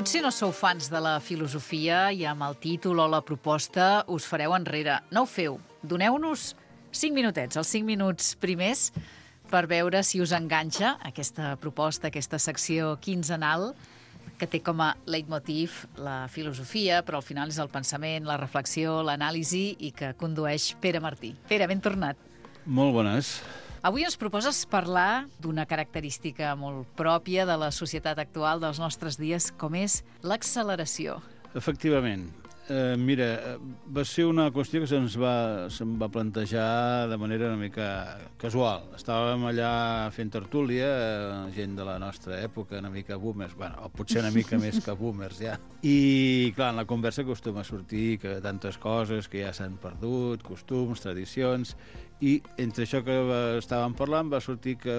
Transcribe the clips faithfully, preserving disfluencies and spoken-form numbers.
Potser no sou fans de la filosofia i amb el títol o la proposta us fareu enrere. No ho feu. Doneu-nos cinc minutets, els cinc minuts primers, per veure si us enganxa aquesta proposta, aquesta secció quinzenal, que té com a leitmotiv la filosofia, però al final és el pensament, la reflexió, l'anàlisi i que condueix Pere Martí. Pere, ben tornat. Molt bones. Avui ens proposes parlar d'una característica molt pròpia de la societat actual dels nostres dies, com és l'acceleració. Efectivament. Eh, mira, va ser una qüestió que se'ns va, se'm va plantejar de manera una mica casual. Estàvem allà fent tertúlia, eh, gent de la nostra època, una mica boomers, bueno, o potser una mica més que boomers, ja. I, clar, en la conversa acostuma a sortir que tantes coses que ja s'han perdut, costums, tradicions, i entre això que estàvem parlant va sortir que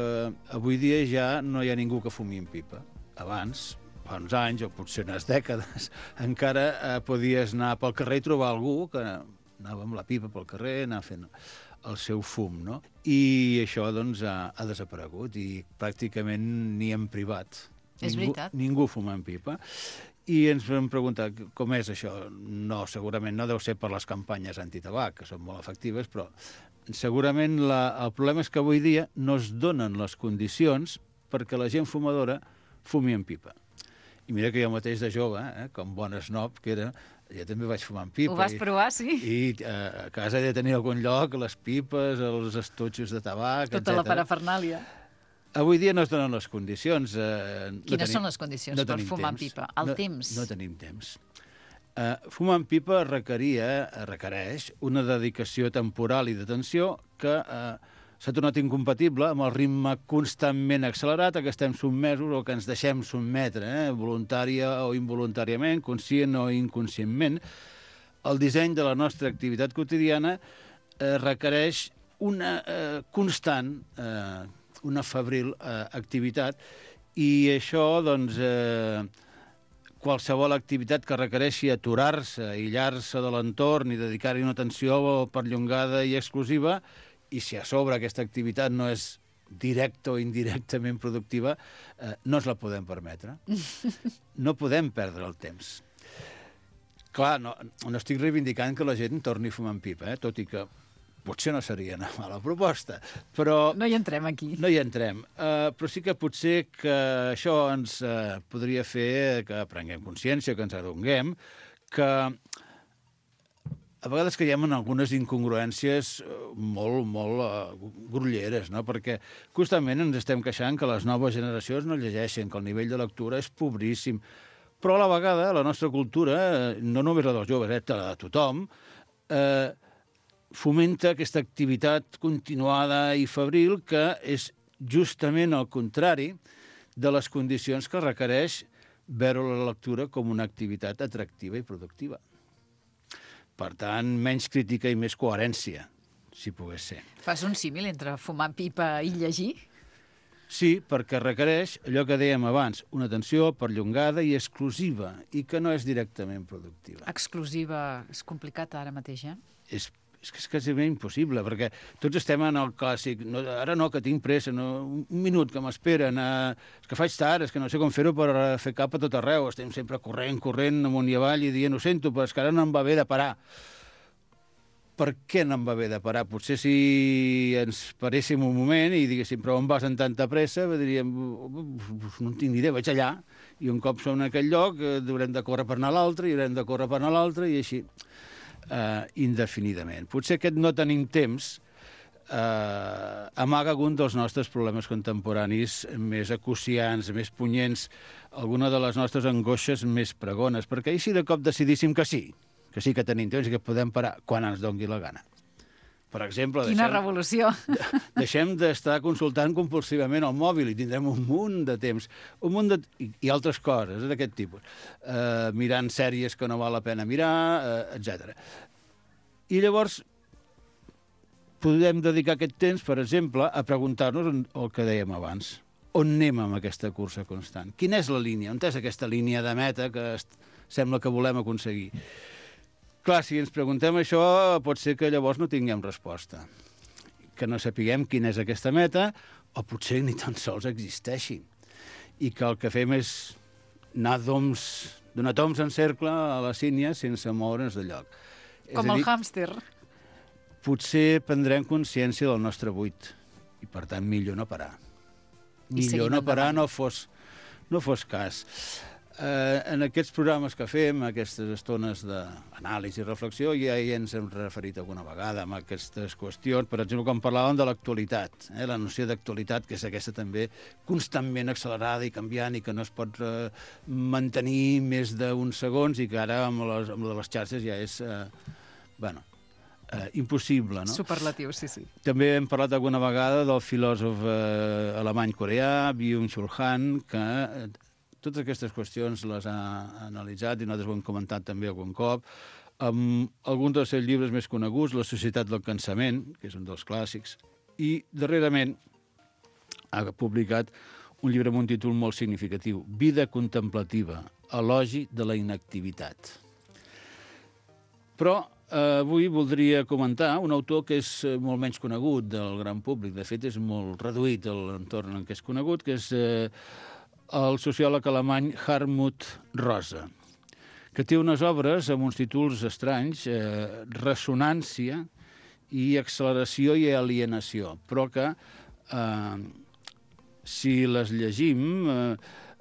avui dia ja no hi ha ningú que fumi en pipa. Abans, fa uns anys, o potser unes dècades, encara eh, podies anar pel carrer i trobar algú que anava amb la pipa pel carrer, anar fent el seu fum, no? I això, doncs, ha, ha desaparegut i pràcticament ni en privat. És ningú, veritat. Ningú fuma en pipa. I ens vam preguntar com és això. No, segurament no deu ser per les campanyes antitabac, que són molt efectives, però segurament la, el problema és que avui dia no es donen les condicions perquè la gent fumadora fumi en pipa. I mira que jo mateix de jove, eh, com bon snob que era, jo també vaig fumar en pipa. Ho vas i, provar, sí? I eh, a casa he de tenir algun lloc, les pipes, els estotxos de tabac, Tota etcètera. la parafernàlia. Avui dia no es donen les condicions. Eh, no Quines tenim, són les condicions no per fumar en temps. pipa? El no, temps. No tenim temps. Uh, fumar en pipa requeria, requereix una dedicació temporal i d'atenció que uh, s'ha tornat incompatible amb el ritme constantment accelerat a què estem sotmesos o que ens deixem sotmetre, eh, voluntària o involuntàriament, conscient o inconscientment. El disseny de la nostra activitat quotidiana eh, requereix una eh, constant, eh, una febril eh, activitat, i això, doncs, eh, qualsevol activitat que requereixi aturar-se, aïllar-se de l'entorn i dedicar-hi una atenció perllongada i exclusiva, i si a sobre aquesta activitat no és directa o indirectament productiva, eh, no ens la podem permetre. No podem perdre el temps. Clar, no, no estic reivindicant que la gent torni a fumar en pipa, eh, tot i que potser no seria una mala proposta, però... No hi entrem aquí. No hi entrem, uh, però sí que potser que això ens uh, podria fer que prenguem consciència, que ens adonguem, que a vegades caiem en algunes incongruències molt, molt uh, grolleres, no? Perquè constantment ens estem queixant que les noves generacions no llegeixen, que el nivell de lectura és pobríssim, però a la vegada la nostra cultura, no només la dels joves, eh, la de tothom, eh, fomenta aquesta activitat continuada i febril que és justament el contrari de les condicions que requereix veure la lectura com una activitat atractiva i productiva. Per tant, menys crítica i més coherència, si pogués ser. Fas un símil entre fumar pipa i llegir? Sí, perquè requereix allò que dèiem abans, una atenció perllongada i exclusiva, i que no és directament productiva. Exclusiva és complicat ara mateix, eh? És És que és quasi impossible, perquè tots estem en el clàssic, no, ara no, que tinc pressa, no, un minut que m'esperen, eh, és que faig tard, és que no sé com fer-ho per fer cap a tot arreu, estem sempre corrent, corrent, amunt i avall i dient, ho sento, però és que ara no em va bé de parar. Per què no em va bé de parar? Potser si ens paréssim un moment i diguéssim, però on vas amb tanta pressa, diríem, no en tinc ni idea, vaig allà, i un cop som en aquell lloc, eh, haurem de córrer per anar a l'altre, i haurem de córrer per anar a l'altre, i així. Uh, indefinidament. Potser aquest no tenim temps uh, amaga algun dels nostres problemes contemporanis més acuciants, més punyents, alguna de les nostres angoixes més pregones, perquè així de cop decidíssim que sí, que sí que tenim temps i que podem parar quan ens dongui la gana. Per exemple, Quina deixem, revolució! deixem d'estar consultant compulsivament el mòbil i tindrem un munt de temps, un munt de, i, i altres coses d'aquest tipus, uh, mirant sèries que no val la pena mirar, uh, etcètera. I llavors podem dedicar aquest temps, per exemple, a preguntar-nos el que dèiem abans. On anem amb aquesta cursa constant? Quina és la línia? On és aquesta línia de meta que sembla que volem aconseguir? Clar, si ens preguntem això, pot ser que llavors no tinguem resposta. Que no sapiguem quina és aquesta meta, o potser ni tan sols existeixi. I que el que fem és anar d'oms, donar toms en cercle a la sínia sense moure'ns de lloc. Com el hàmster. Potser prendrem consciència del nostre buit i, per tant, millor no parar. Millor no parar, no fos, no fos cas. Eh, en aquests programes que fem, aquestes estones d'anàlisi i reflexió, ja hi ens hem referit alguna vegada amb aquestes qüestions. Per exemple, quan parlàvem de l'actualitat, eh, la noció d'actualitat, que és aquesta també constantment accelerada i canviant i que no es pot eh, mantenir més d'uns segons i que ara amb les, amb les xarxes ja és... Eh, bueno, eh, impossible, no? Superlatiu, sí, sí. També hem parlat alguna vegada del filòsof eh, alemany-coreà, Byung-Chul Han, que eh, totes aquestes qüestions les ha analitzat i nosaltres ho hem comentat també algun cop. Amb alguns dels seus llibres més coneguts, La societat del cansament, que és un dels clàssics, i darrerament ha publicat un llibre amb un títol molt significatiu, Vida contemplativa, elogi de la inactivitat. Però eh, avui voldria comentar un autor que és molt menys conegut del gran públic. De fet, és molt reduït l'entorn en què és conegut, que és eh, el sociòleg alemany Hartmut Rosa, que té unes obres amb uns títols estranys, eh, Ressonància i Acceleració i Alienació, però que, eh, si les llegim, eh,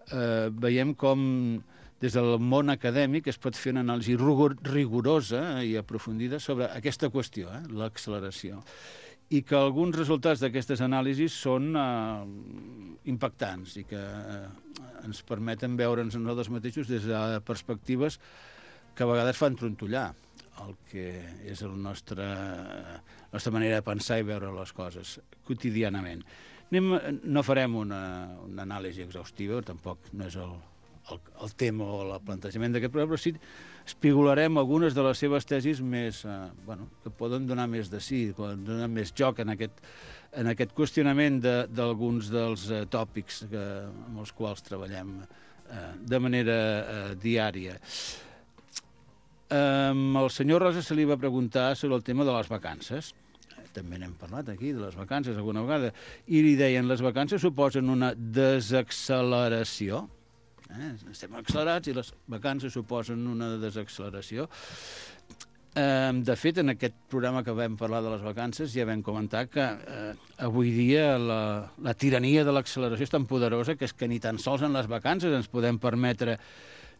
eh, veiem com des del món acadèmic es pot fer una anàlisi rigorosa i aprofundida sobre aquesta qüestió, eh, l'acceleració, i que alguns resultats d'aquestes anàlisis són eh, impactants i que eh, ens permeten veure'ns nosaltres mateixos des de perspectives que a vegades fan trontollar el que és la nostra, la nostra manera de pensar i veure les coses quotidianament. Anem, no farem una, una anàlisi exhaustiva, tampoc no és el, el, el tema o el plantejament d'aquest programa, però sí espigolarem algunes de les seves tesis més, eh, bueno, que poden donar més de sí, poden donar més joc en aquest, en aquest qüestionament d'alguns de, dels eh, tòpics que, amb els quals treballem eh, de manera eh, diària. Eh, el senyor Rosa se li va preguntar sobre el tema de les vacances. També n'hem parlat aquí, de les vacances, alguna vegada, i li deien, les vacances suposen una desacceleració. Eh? Estem accelerats i les vacances suposen una desacceleració. Eh, de fet, en aquest programa que vam parlar de les vacances ja vam comentar que eh, avui dia la, la tirania de l'acceleració és tan poderosa que és que ni tan sols en les vacances ens podem permetre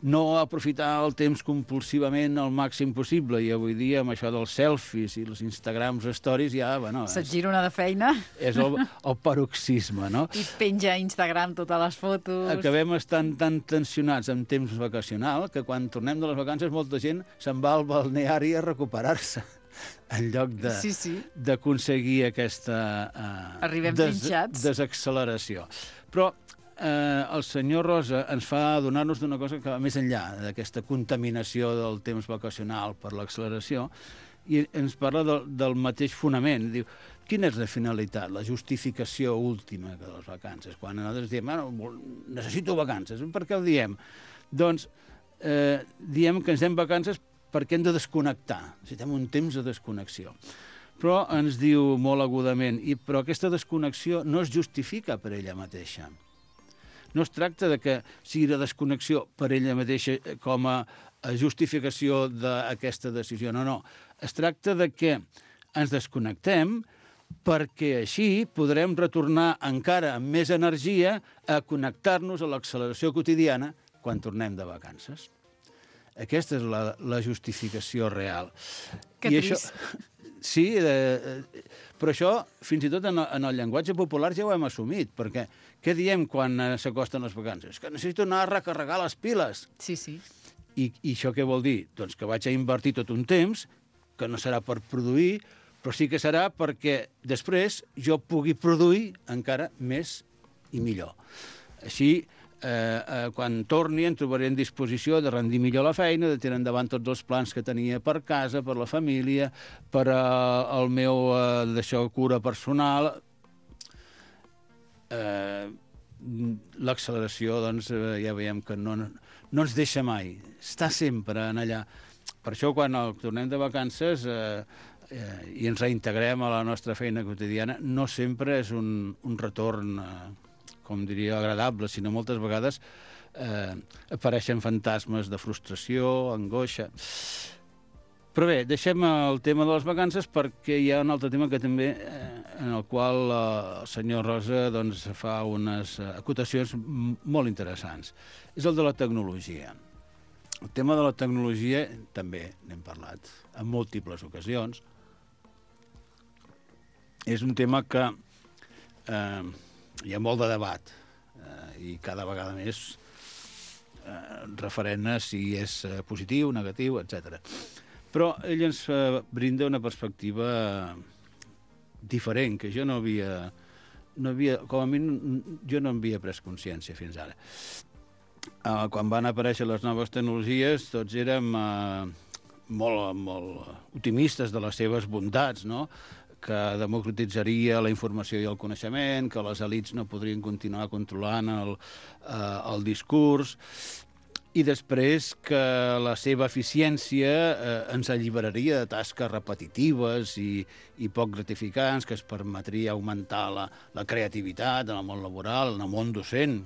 no aprofitar el temps compulsivament al màxim possible, i avui dia amb això dels selfies i els Instagrams stories ja, bueno... Se't gira una de feina. És el, el paroxisme, no? I penja a Instagram totes les fotos. Acabem estant tan tensionats en temps vacacional que quan tornem de les vacances molta gent se'n va al balneari a recuperar-se en lloc de, sí, sí. d'aconseguir aquesta uh, Arribem des, pinxats. desacceleració. Però Eh, el senyor Rosa ens fa adonar-nos d'una cosa que va més enllà d'aquesta contaminació del temps vacacional per l'acceleració, i ens parla del, del mateix fonament. Diu, quina és la finalitat, la justificació última de les vacances? Quan nosaltres diem, bueno, necessito vacances, per què ho diem? Doncs eh, diem que ens anem vacances perquè hem de desconnectar, necessitem un temps de desconnexió. Però ens diu molt agudament, i, però aquesta desconnexió no es justifica per ella mateixa. No es tracta de que sigui la desconnexió per ella mateixa com a justificació d'aquesta decisió. No, no. Es tracta de que ens desconnectem perquè així podrem retornar encara amb més energia a connectar-nos a l'acceleració quotidiana quan tornem de vacances. Aquesta és la, la justificació real. Que I trist. Això, sí, eh, però això, fins i tot en el, en el llenguatge popular ja ho hem assumit, perquè què diem quan s'acosten les vacances? Que necessito anar a recarregar les piles. Sí, sí. I, I això què vol dir? Doncs que vaig a invertir tot un temps, que no serà per produir, però sí que serà perquè després jo pugui produir encara més i millor. Així, eh, eh, quan torni em trobaré en disposició de rendir millor la feina, de tirar endavant tots els plans que tenia per casa, per la família, per eh, el meu eh, d'això, cura personal. Eh, l'acceleració, doncs, eh, ja veiem que no, no ens deixa mai, està sempre en allà. Per això, quan el, tornem de vacances eh, eh, i ens reintegrem a la nostra feina quotidiana, no sempre és un, un retorn, eh, com diria, agradable, sinó moltes vegades eh, apareixen fantasmes de frustració, angoixa... Però bé, deixem el tema de les vacances perquè hi ha un altre tema que també, eh, en el qual eh, el senyor Rosa doncs, fa unes acotacions molt interessants. És el de la tecnologia. El tema de la tecnologia també n'hem parlat en múltiples ocasions. És un tema que eh, hi ha molt de debat eh, i cada vegada més eh, referent a si és positiu, negatiu, etcètera. Però ell ens brinda una perspectiva diferent, que jo no havia, no havia com a mi, jo no en havia pres consciència fins ara. Uh, quan van aparèixer les noves tecnologies, tots érem uh, molt, molt optimistes de les seves bondats, no? Que democratitzaria la informació i el coneixement, que les elits no podrien continuar controlant el, uh, el discurs, i després que la seva eficiència eh, ens alliberaria de tasques repetitives i, i poc gratificants, que es permetria augmentar la, la creativitat en el món laboral, en el món docent,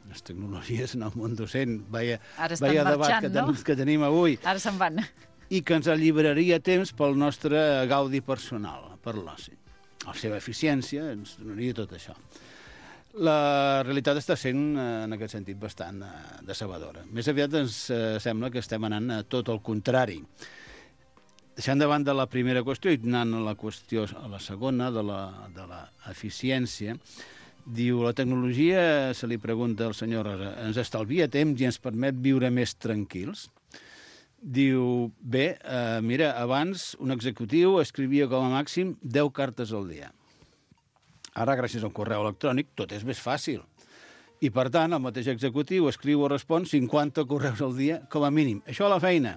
les tecnologies en el món docent, veia, veia debat que, ten, no? que tenim avui. Ara se'n van. I que ens alliberaria temps pel nostre gaudi personal, per l'oci. La seva eficiència ens donaria tot això. La realitat està sent, en aquest sentit, bastant decebedora. Més aviat ens sembla que estem anant a tot el contrari. Deixant davant de la primera qüestió i anant a la qüestió, a la segona, de la, de l'eficiència, diu, la tecnologia, se li pregunta al senyor Rosa, ens estalvia temps i ens permet viure més tranquils? Diu, bé, eh, mira, abans un executiu escrivia com a màxim deu cartes al dia. Ara, gràcies al correu electrònic, tot és més fàcil. I, per tant, el mateix executiu escriu o respon cinquanta correus al dia com a mínim. Això a la feina,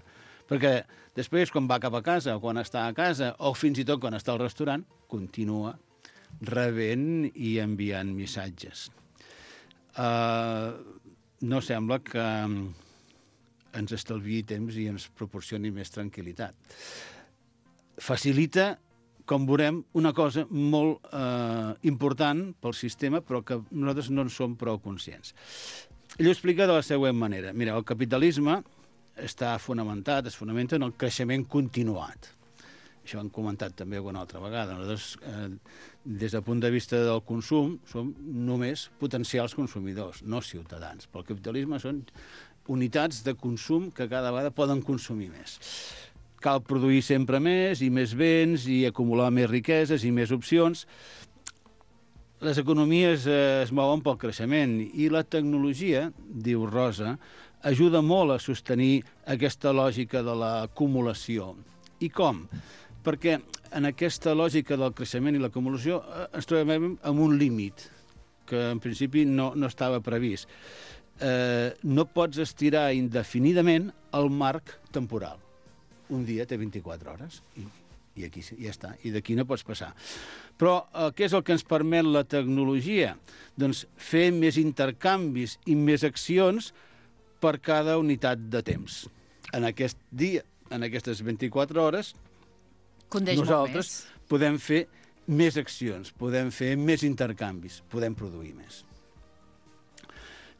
perquè després, quan va cap a casa, o quan està a casa, o fins i tot quan està al restaurant, continua rebent i enviant missatges. Uh, no sembla que ens estalviï temps i ens proporcioni més tranquil·litat. Facilita, com veurem, una cosa molt eh, important pel sistema, però que nosaltres no en som prou conscients. Ell ho explica de la següent manera. Mira, el capitalisme està fonamentat, es fonamenta en el creixement continuat. Això ho hem comentat també alguna altra vegada. Nosaltres, eh, des del punt de vista del consum, som només potencials consumidors, no ciutadans. Pel capitalisme són unitats de consum que cada vegada poden consumir més. Cal produir sempre més i més béns i acumular més riqueses i més opcions. Les economies eh, es mouen pel creixement i la tecnologia, diu Rosa, ajuda molt a sostenir aquesta lògica de l'acumulació. I com? Perquè en aquesta lògica del creixement i l'acumulació eh, ens trobem amb un límit que en principi no, no estava previst. Eh, no pots estirar indefinidament el marc temporal. Un dia té vint-i-quatre hores i, i aquí ja està, i d'aquí no pots passar. Però eh, què és el que ens permet la tecnologia? Doncs fer més intercanvis i més accions per cada unitat de temps. En aquest dia, en aquestes vint-i-quatre hores, Condeix nosaltres podem fer més accions, podem fer més intercanvis, podem produir més.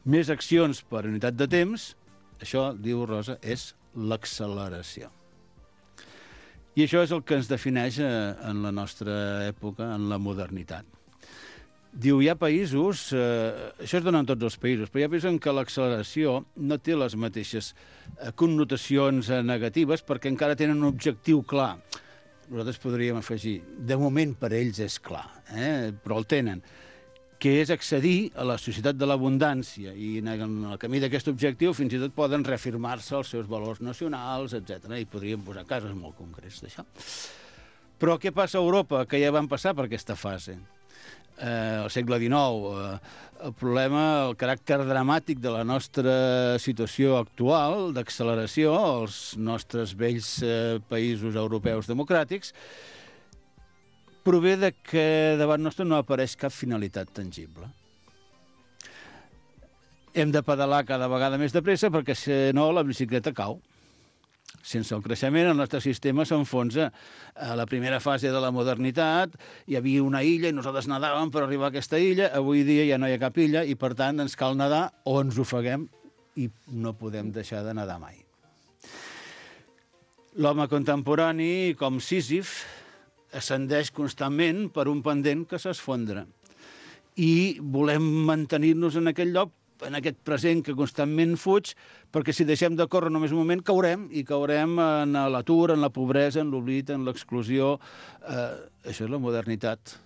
Més accions per unitat de temps, això, diu Rosa, és l'acceleració. I això és el que ens defineix en la nostra època, en la modernitat. Diu, hi ha països, eh, això es dona en tots els països, però hi ha països en què l'acceleració no té les mateixes connotacions negatives perquè encara tenen un objectiu clar. Nosaltres podríem afegir, de moment per ells és clar, eh? Però el tenen, que és accedir a la societat de l'abundància i en el camí d'aquest objectiu fins i tot poden reafirmar-se els seus valors nacionals, etcètera. I podríem posar casos molt concrets d'això. Però què passa a Europa, que ja van passar per aquesta fase? Eh, al segle dinou, eh, el problema, el caràcter dramàtic de la nostra situació actual, d'acceleració, als nostres vells eh, països europeus democràtics, prové de que davant nostre no apareix cap finalitat tangible. Hem de pedalar cada vegada més de pressa perquè, si no, la bicicleta cau. Sense el creixement, el nostre sistema s'enfonsa. A la primera fase de la modernitat hi havia una illa i nosaltres nedàvem per arribar a aquesta illa. Avui dia ja no hi ha cap illa i, per tant, ens cal nedar o ens ofeguem i no podem deixar de nedar mai. L'home contemporani, com Sísif, ascendeix constantment per un pendent que s'esfondra. I volem mantenir-nos en aquell lloc, en aquest present que constantment fuig, perquè si deixem de córrer només un moment, caurem, i caurem en l'atur, en la pobresa, en l'oblit, en l'exclusió. Eh, això és la modernitat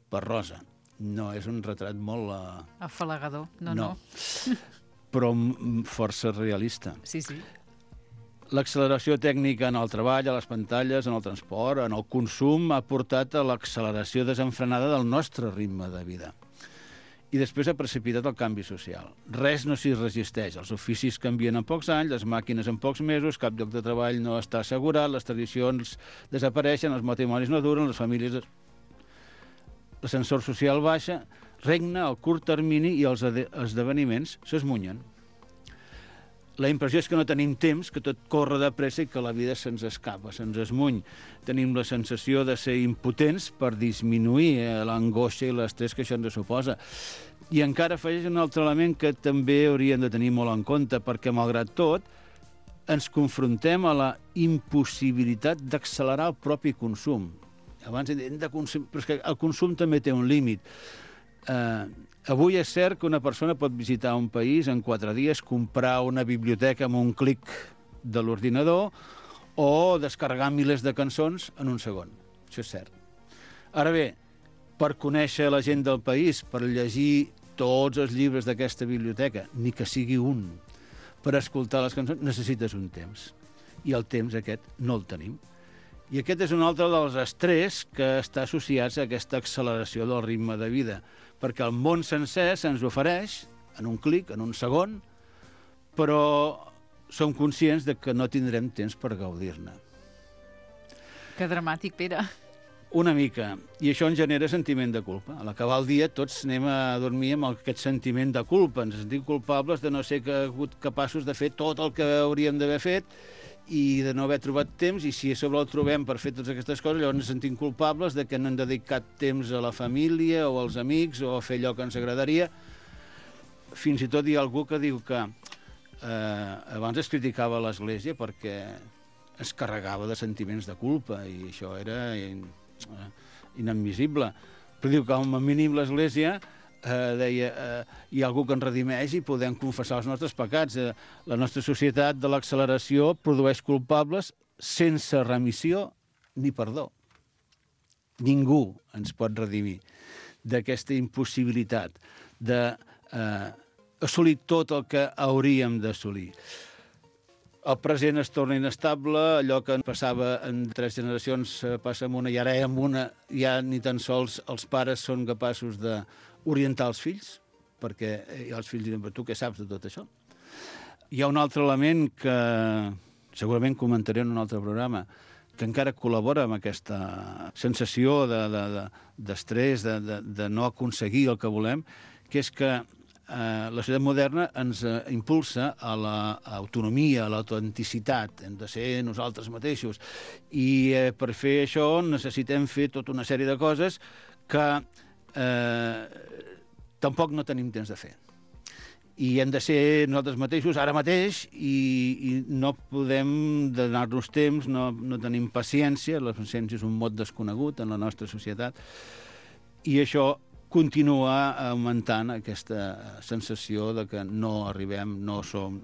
per Rosa. No és un retrat molt... Eh... afalagador, no, no. no. Però força realista. Sí, sí. L'acceleració tècnica en el treball, a les pantalles, en el transport, en el consum, ha portat a l'acceleració desenfrenada del nostre ritme de vida. I després ha precipitat el canvi social. Res no s'hi resisteix. Els oficis canvien en pocs anys, les màquines en pocs mesos, cap lloc de treball no està assegurat, les tradicions desapareixen, els matrimonis no duren, les famílies... L'ascensor social baixa, regna el curt termini i els esdeveniments s'esmunyen. La impressió és que no tenim temps, que tot corre de pressa i que la vida se'ns escapa, se'ns esmuny. Tenim la sensació de ser impotents per disminuir eh, l'angoixa i l'estrès que això ens suposa. I encara afegeix un altre element que també hauríem de tenir molt en compte, perquè, malgrat tot, ens confrontem a la impossibilitat d'accelerar el propi consum. Abans hem de consum... Però és que el consum també té un límit. Eh, avui és cert que una persona pot visitar un país en quatre dies, comprar una biblioteca amb un clic de l'ordinador o descarregar milers de cançons en un segon. Això és cert. Ara bé, per conèixer la gent del país, per llegir tots els llibres d'aquesta biblioteca, ni que sigui un, per escoltar les cançons, necessites un temps. I el temps aquest no el tenim. I aquest és un altre dels estrès que està associats a aquesta acceleració del ritme de vida, perquè el món sencer se'ns ofereix en un clic, en un segon, però som conscients de que no tindrem temps per gaudir-ne. Que dramàtic, Pere. Una mica. I això ens genera sentiment de culpa. A l'acabar el dia tots anem a dormir amb aquest sentiment de culpa. Ens sentim culpables de no ser capaços de fer tot el que hauríem d'haver fet i de no haver trobat temps, i si a sobre el trobem per fer totes aquestes coses, llavors ens sentim culpables de que no hem dedicat temps a la família o als amics o a fer allò que ens agradaria. Fins i tot hi ha algú que diu que eh, abans es criticava l'Església perquè es carregava de sentiments de culpa i això era in, eh, inadmissible. Però diu que com a mínim l'Església Eh, deia, eh, hi ha algú que ens redimeix i podem confessar els nostres pecats. Eh, la nostra societat de l'acceleració produeix culpables sense remissió ni perdó. Ningú ens pot redimir d'aquesta impossibilitat d'assolir eh, tot el que hauríem d'assolir. El present es torna inestable, allò que passava en tres generacions passa en una i ara en una ja ni tan sols els pares són capaços d'orientar els fills, perquè els fills diuen, tu què saps de tot això? Hi ha un altre element que segurament comentaré en un altre programa, que encara col·labora amb aquesta sensació d'estrès, de, de, de, de, de no aconseguir el que volem, que és que eh, la societat moderna ens eh, impulsa a l'autonomia, a l'autenticitat, hem de ser nosaltres mateixos. I eh, per fer això necessitem fer tota una sèrie de coses que eh, tampoc no tenim temps de fer. I hem de ser nosaltres mateixos ara mateix i, i no podem donar-nos temps, no, no tenim paciència, la paciència és un mot desconegut en la nostra societat, i això continua augmentant aquesta sensació de que no arribem, no som,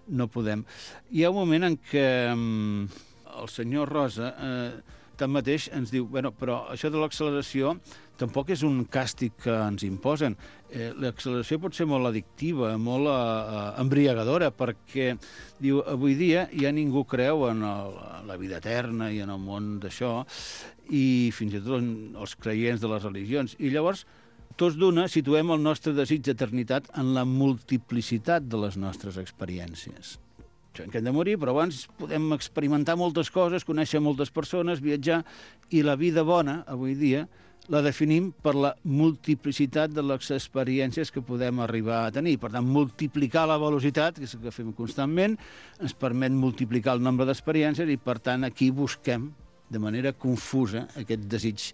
no podem. Hi ha un moment en què el senyor Rosa eh, tanmateix ens diu, bueno, però això de l'acceleració tampoc és un càstig que ens imposen. Eh, l'acceleració pot ser molt addictiva, molt eh, embriagadora, perquè diu, avui dia ja ningú creu en el, la vida eterna i en el món d'això, i fins i tot els creients de les religions. I llavors, tots d'una, situem el nostre desig d'eternitat en la multiplicitat de les nostres experiències. Que hem de morir, però abans podem experimentar moltes coses, conèixer moltes persones, viatjar, i la vida bona, avui dia, la definim per la multiplicitat de les experiències que podem arribar a tenir. Per tant, multiplicar la velocitat, que és el que fem constantment, ens permet multiplicar el nombre d'experiències i, per tant, aquí busquem de manera confusa aquest desig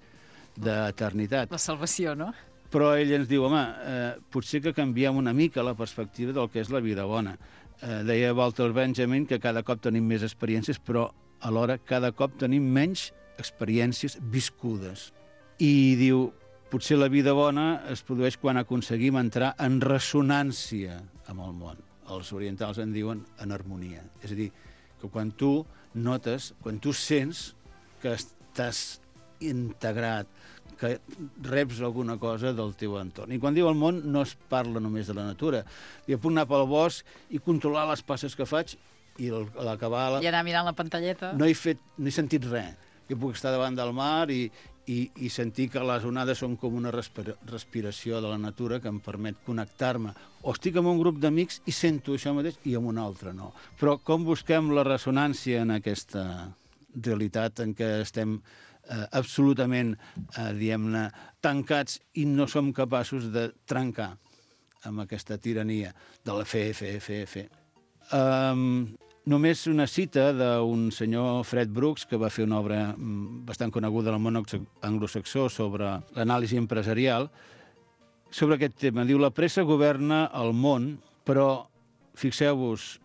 d'eternitat. La salvació, no? Però ell ens diu, home, eh, potser que canviem una mica la perspectiva del que és la vida bona. Eh, deia Walter Benjamin que cada cop tenim més experiències, però alhora cada cop tenim menys experiències viscudes. I diu, potser la vida bona es produeix quan aconseguim entrar en ressonància amb el món. Els orientals en diuen en harmonia. És a dir, que quan tu notes, quan tu sents que estàs integrat, que reps alguna cosa del teu entorn. I quan diu el món no es parla només de la natura. Jo puc anar pel bosc i controlar les passes que faig i a l'acabar... I anar mirant la pantalleta. No he, fet, no he sentit res. Jo puc estar davant del mar i, i, i sentir que les onades són com una respira, respiració de la natura que em permet connectar-me. O estic amb un grup d'amics i sento això mateix i amb un altre no. Però com busquem la ressonància en aquesta realitat en què estem eh, absolutament, eh, diguem-ne, tancats i no som capaços de trencar amb aquesta tirania de la fe, fe, fe, fe. Um, només una cita d'un senyor Fred Brooks, que va fer una obra bastant coneguda al món anglosaxó sobre l'anàlisi empresarial, sobre aquest tema. Diu, la pressa governa el món, però fixeu-vos,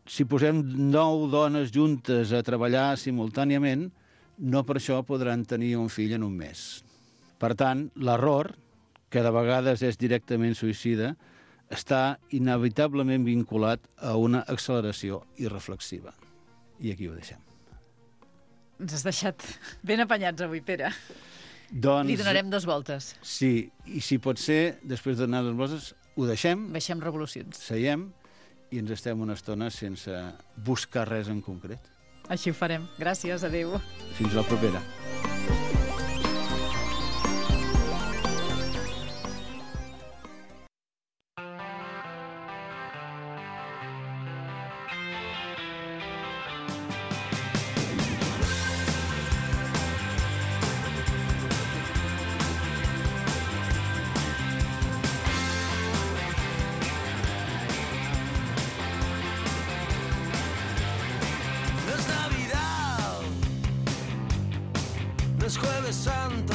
si posem nou dones juntes a treballar simultàniament, no per això podran tenir un fill en un mes. Per tant, l'error, que de vegades és directament suïcida, està inevitablement vinculat a una acceleració irreflexiva. I aquí ho deixem. Ens has deixat ben apanyats avui, Pere. Doncs, li donarem dos voltes. Sí, i si pot ser, després de donar dos voltes, ho deixem, Baixem revolucions. seiem i ens estem una estona sense buscar res en concret. Així ho farem. Gràcies, adéu. Fins la propera. No es Jueves Santo,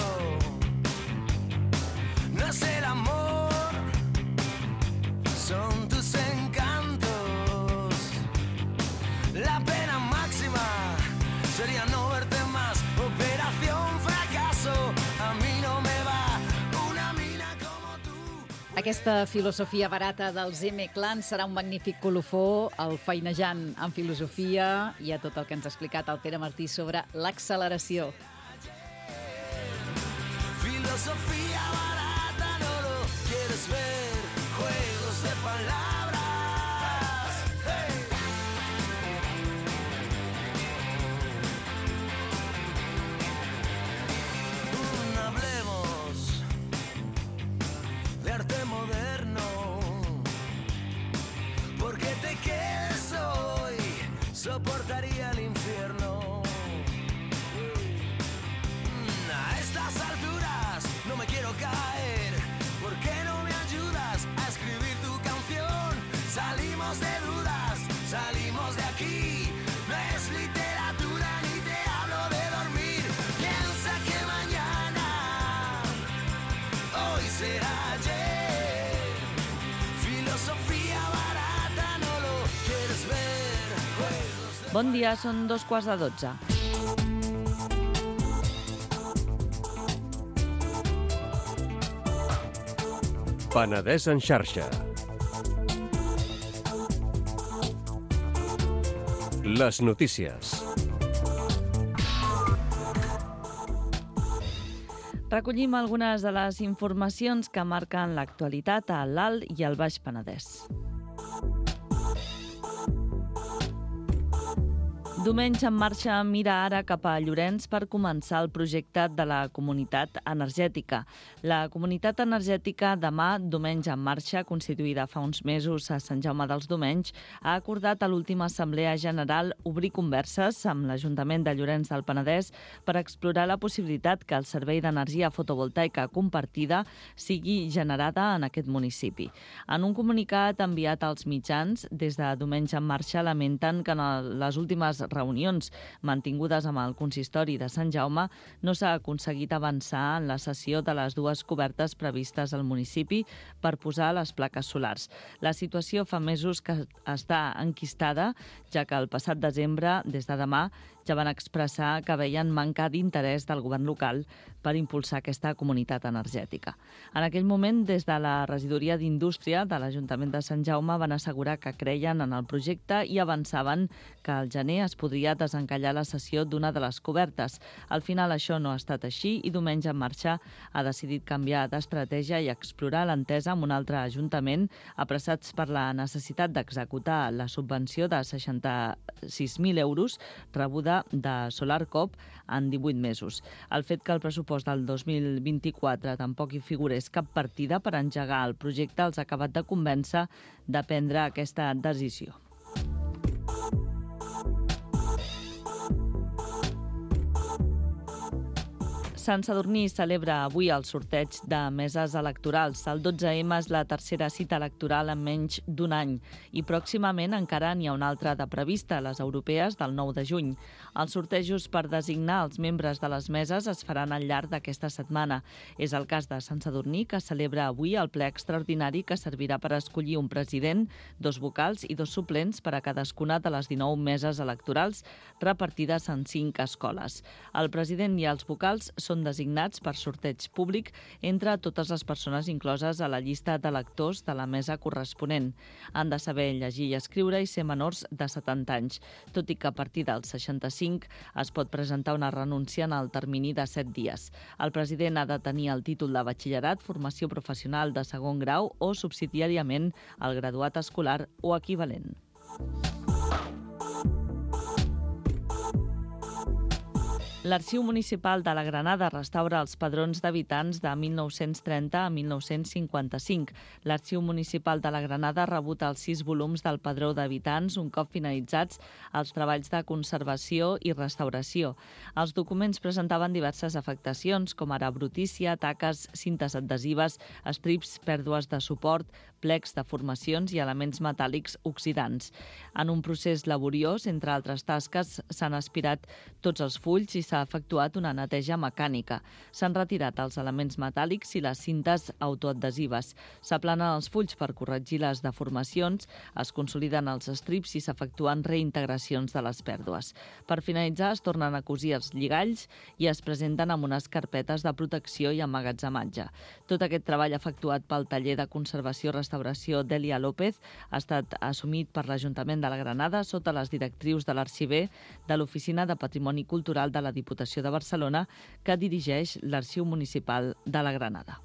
no es el amor, son tus encantos. La pena máxima sería no verte más. Operación fracaso, a mí no me va una mina como tú. Aquesta filosofia barata dels M-Clan serà un magnífic colofó al Feinejant en filosofia i a tot el que ens ha explicat el Pere Martí sobre l'acceleració. Filosofía barata, no lo quieres ver, juegos de palabras. Hey. Mm, hablemos de arte moderno, porque te quedes hoy, soportaría el infierno. Mm, a estas alturas no me quiero caer, ¿por qué no me ayudas a escribir tu canción? Salimos de dudas, salimos de aquí, no es literatura ni te hablo de dormir. Piensa que mañana, hoy será ayer. Filosofía barata, no lo quieres ver. Juegos de... Bon dia, són dos quarts de dotze. Penedès en xarxa. Les notícies. Recollim algunes de les informacions que marquen l'actualitat a l'Alt i al Baix Penedès. Diumenge en marxa mira ara cap a Llorenç per començar el projecte de la Comunitat Energètica. La Comunitat Energètica demà, diumenge en marxa, constituïda fa uns mesos a Sant Jaume dels Domenys, ha acordat a l'última Assemblea General obrir converses amb l'Ajuntament de Llorenç del Penedès per explorar la possibilitat que el servei d'energia fotovoltaica compartida sigui generada en aquest municipi. En un comunicat enviat als mitjans, des de diumenge en marxa lamenten que en les últimes reunions mantingudes amb el consistori de Sant Jaume, no s'ha aconseguit avançar en la cessió de les dues cobertes previstes al municipi per posar les plaques solars. La situació fa mesos que està enquistada, ja que el passat desembre, des de demà, ja van expressar que veien manca d'interès del govern local per impulsar aquesta comunitat energètica. En aquell moment, des de la regidoria d'Indústria de l'Ajuntament de Sant Jaume van assegurar que creien en el projecte i avançaven que al gener es podria desencallar la cessió d'una de les cobertes. Al final això no ha estat així i Diumenge en Marxa ha decidit canviar d'estratègia i explorar l'entesa amb un altre ajuntament, apressats per la necessitat d'executar la subvenció de seixanta-sis mil euros rebuda de SolarCop en divuit mesos. El fet que el pressupost del dos mil vint-i-quatre tampoc hi figurés cap partida per engegar el projecte els ha acabat de convèncer de prendre aquesta decisió. Sant Sadurní celebra avui el sorteig de meses electorals. El dotze eme és la tercera cita electoral en menys d'un any i pròximament encara n'hi ha una altra de prevista, les europees del nou de juny. Els sortejos per designar els membres de les meses es faran al llarg d'aquesta setmana. És el cas de Sant Sadurní, que celebra avui el ple extraordinari que servirà per escollir un president, dos vocals i dos suplents per a cadascuna de les dinou meses electorals repartides en cinc escoles. El president i els vocals són són designats per sorteig públic entre totes les persones incloses a la llista d'electors de la mesa corresponent. Han de saber llegir i escriure i ser menors de setanta anys, tot i que a partir dels seixanta-cinc es pot presentar una renúncia en el termini de set dies. El president ha de tenir el títol de batxillerat, formació professional de segon grau o, subsidiàriament, el graduat escolar o equivalent. L'Arxiu Municipal de la Granada restaura els padrons d'habitants de mil nou-cents trenta a mil nou-cents cinquanta-cinc. L'Arxiu Municipal de la Granada ha rebut els sis volums del padró d'habitants un cop finalitzats els treballs de conservació i restauració. Els documents presentaven diverses afectacions, com ara brutícia, taques, cintes adhesives, estrips, pèrdues de suport, plecs, deformacions i elements metàl·lics oxidants. En un procés laboriós, entre altres tasques, s'han aspirat tots els fulls i s'ha efectuat una neteja mecànica. S'han retirat els elements metàl·lics i les cintes autoadhesives. S'aplanen els fulls per corregir les deformacions, es consoliden els estrips i s'efectuen reintegracions de les pèrdues. Per finalitzar, es tornen a cosir els lligalls i es presenten amb unes carpetes de protecció i emmagatzematge. Tot aquest treball efectuat pel taller de conservació i restauració d'Elia López ha estat assumit per l'Ajuntament de la Granada sota les directrius de l'arxiver de l'Oficina de Patrimoni Cultural de la Diputació de Barcelona, que dirigeix l'Arxiu Municipal de la Granada.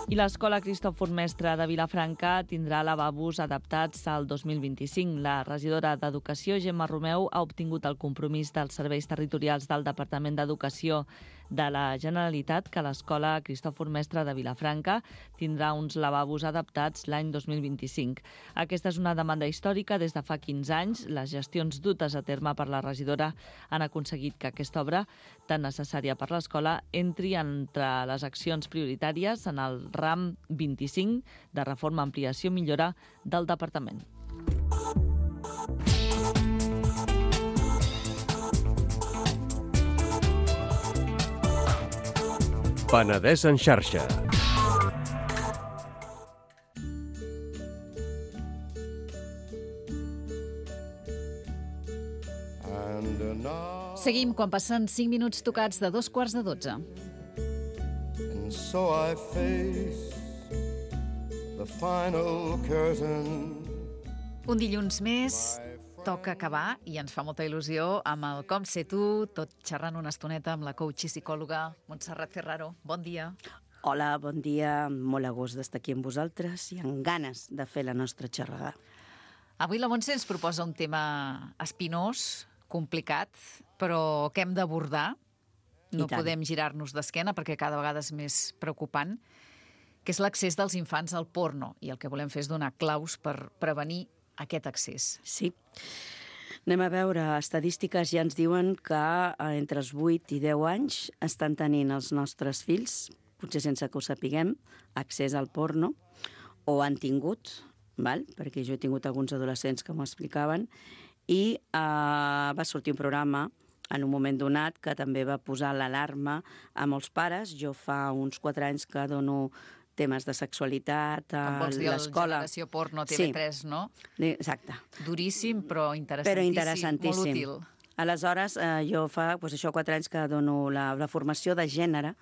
I l'Escola Cristòfor Mestre de Vilafranca tindrà lavabos adaptats al dos mil vint-i-cinc. La regidora d'Educació, Gemma Romeu, ha obtingut el compromís dels serveis territorials del Departament d'Educació de la Generalitat que l'Escola Cristòfor Mestre de Vilafranca tindrà uns lavabos adaptats l'any dos mil vint-i-cinc. Aquesta és una demanda històrica des de fa quinze anys. Les gestions dutes a terme per la regidora han aconseguit que aquesta obra, tan necessària per l'escola, entri entre les accions prioritàries en el ram vint-i-cinc de reforma, ampliació i millora del departament. Penedès en xarxa. Seguim quan passen cinc minuts tocats de dos quarts de dotze. And so I face the final curtain. Un dilluns més, toca acabar i ens fa molta il·lusió amb el Com sé tu, tot xerrant una estoneta amb la coach i psicòloga Montserrat Ferraro. Bon dia. Hola, bon dia. Molt a gust d'estar aquí amb vosaltres i amb ganes de fer la nostra xerrada. Avui la Montse ens proposa un tema espinós, complicat, però que hem d'abordar. No podem girar-nos d'esquena perquè cada vegada és més preocupant, que és l'accés dels infants al porno. I el que volem fer és donar claus per prevenir aquest accés. Sí. Anem a veure, estadístiques ja ens diuen que entre els vuit i deu anys estan tenint els nostres fills, potser sense que ho sapiguem, accés al porno, o han tingut val? Perquè jo he tingut alguns adolescents que m'ho explicaven, i uh, va sortir un programa en un moment donat que també va posar l'alarma a molts pares. Jo fa uns quatre anys que dono temes de sexualitat a Com vols dir, el l'escola. Generació Porno T V tres, Sí. no? Exacte. Duríssim, però interessantíssim. Però interessantíssim. Molt útil. Aleshores, eh, jo fa doncs, això quatre anys que dono la, la formació de gènere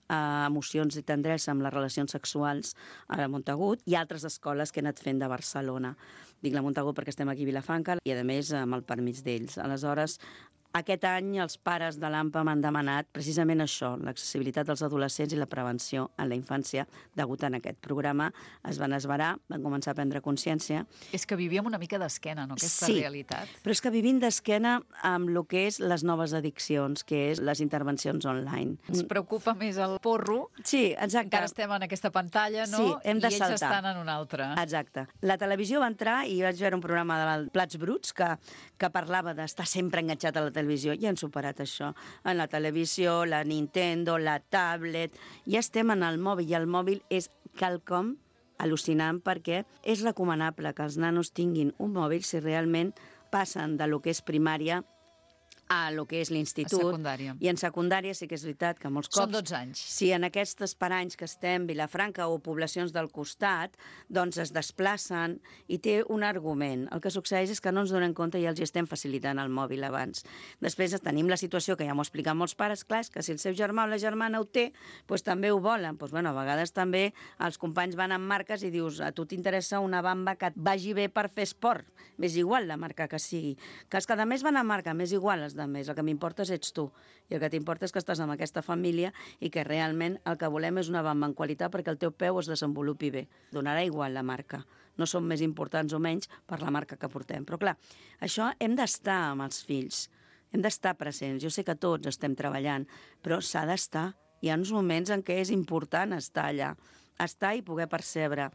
a emocions i tendresa amb les relacions sexuals a la Montagut i altres escoles que he anat fent de Barcelona. Dic la Montagut perquè estem aquí a Vilafranca i, a més, amb el permís d'ells. Aleshores, aquest any els pares de l'A M P A m'han demanat precisament això, l'accessibilitat dels adolescents i la prevenció en la infància. Degut a aquest programa es van esverar, van començar a prendre consciència. És que vivíem una mica d'esquena, no?, aquesta Sí, realitat. però és que vivim d'esquena amb el que és les noves addiccions, que és les intervencions online. Ens preocupa més el porro. Sí, exacte. Encara estem en aquesta pantalla, no? Sí, hem de I ells saltar. estan en una altra. Exacte. La televisió va entrar i vaig veure un programa de Plats Bruts que, que parlava d'estar sempre enganxat a la televisió. Ja han superat això. En la televisió, la Nintendo, la tablet... Ja estem en el mòbil i el mòbil és quelcom al·lucinant perquè és recomanable que els nanos tinguin un mòbil si realment passen de lo que és primària a lo que és l'institut. A secundària. I en secundària sí que és veritat que molts cops... Són dotze anys. Si en aquests paranys que estem, Vilafranca o poblacions del costat, doncs es desplacen i té un argument. El que succeeix és que no ens donem compte i els hi estem facilitant el mòbil abans. Després tenim la situació, que ja m'ho expliquen molts pares, clar, és que si el seu germà o la germana ho té, doncs també ho volen. Doncs, bueno, a vegades també els companys van amb marques i dius, a tu t'interessa una bamba que et vagi bé per fer esport. M'és igual la marca que sigui. Que els que a més van amb marca, m'és igual els de més. El que m'importa és ets tu. I el que t'importa és que estàs amb aquesta família i que realment el que volem és una bamba en qualitat perquè el teu peu es desenvolupi bé. Donarà igual la marca. No som més importants o menys per la marca que portem. Però clar, això hem d'estar amb els fills. Hem d'estar presents. Jo sé que tots estem treballant, però s'ha d'estar. Hi ha uns moments en què és important estar allà. Estar i poder percebre.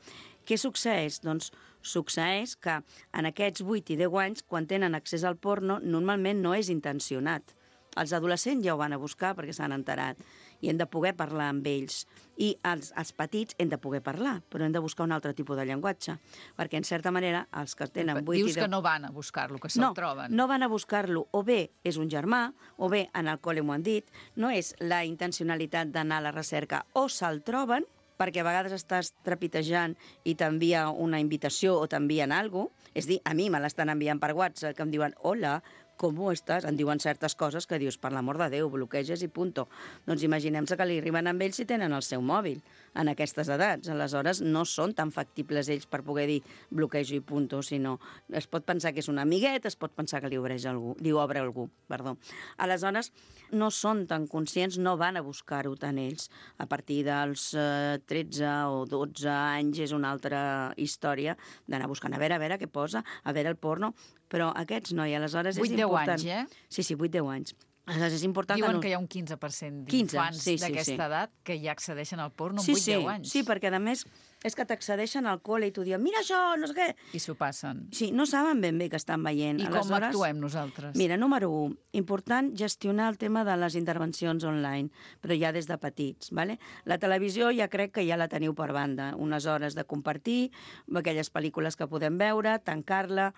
Què succeeix? Doncs succeeix que en aquests vuit i deu anys, quan tenen accés al porno, normalment no és intencionat. Els adolescents ja ho van a buscar perquè s'han enterat i hem de poder parlar amb ells. I els, els petits hem de poder parlar, però hem de buscar un altre tipus de llenguatge, perquè, en certa manera, els que tenen vuit Dius i deu... que no van a buscar-lo, que se'l no, troben. No van a buscar-lo. O bé és un germà, o bé en el col·le m'ho han dit, no és la intencionalitat d'anar a la recerca, o se'l troben, perquè a vegades estàs trepitejant i t'envia una invitació o t'envien alguna cosa. És a dir, a mi me l'estan enviant per WhatsApp, que em diuen, hola, com estàs? En diuen certes coses que dius, per l'amor de Déu, bloqueges i punto. Doncs imaginem-se que li arriben amb ells si tenen el seu mòbil en aquestes edats. Aleshores, no són tan factibles ells per poder dir bloquejo i punto, sinó es pot pensar que és un amiguet, es pot pensar que li obre algú, li obre algú, perdó. Aleshores, no són tan conscients, no van a buscar-ho tant ells. A partir dels eh, tretze o dotze anys és una altra història d'anar buscant, a veure, a veure què posa, a veure el porno, però aquests no, i aleshores és vuit deu important. anys, eh? Sí, sí, vuit deu anys. Aleshores és important Diuen que, no... que hi ha un quinze per cent quinze, d'infants sí, sí, d'aquesta sí. edat que ja accedeixen al porno amb sí, vuit deu sí, anys. sí, perquè a més és que t'accedeixen al col·le i t'ho diuen, mira això, no sé què. I s'ho passen. Sí, no saben ben bé que estan veient. I com actuem nosaltres? Mira, número un, important gestionar el tema de les intervencions online, però ja des de petits. Vale? La televisió ja crec que ja la teniu per banda, unes hores de compartir, aquelles pel·lícules que podem veure, tancar-la,